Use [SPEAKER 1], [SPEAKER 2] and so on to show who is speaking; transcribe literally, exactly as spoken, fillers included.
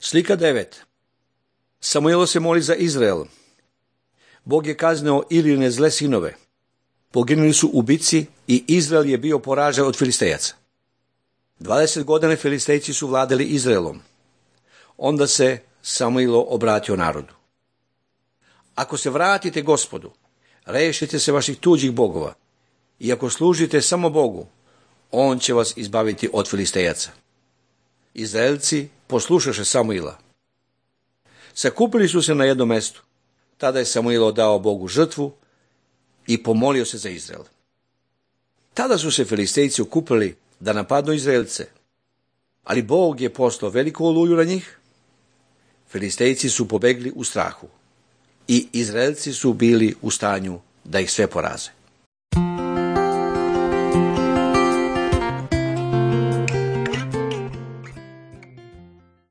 [SPEAKER 1] Slika devet. Samuilo se moli za Izrael. Bog je kaznio Iline zle sinove. Poginuli su u bici i Izrael je bio poražen od Filistejaca. dvadeset godina Filistejci su vladali Izraelom. Onda se Samuilo obratio narodu. Ako se vratite Gospodu, rešite se vaših tuđih bogova, i ako služite samo Bogu, on će vas izbaviti od Filistejaca. Izraelci poslušaše Samuila. Sakupili su se na jednom mestu. Tada je Samuilo dao Bogu žrtvu i pomolio se za Izrael. Tada su se Filistejci okupili da napadnu Izraelce, ali Bog je poslao veliku oluju na njih. Filistejci su pobegli u strahu i Izraelci su bili u stanju da ih sve poraze.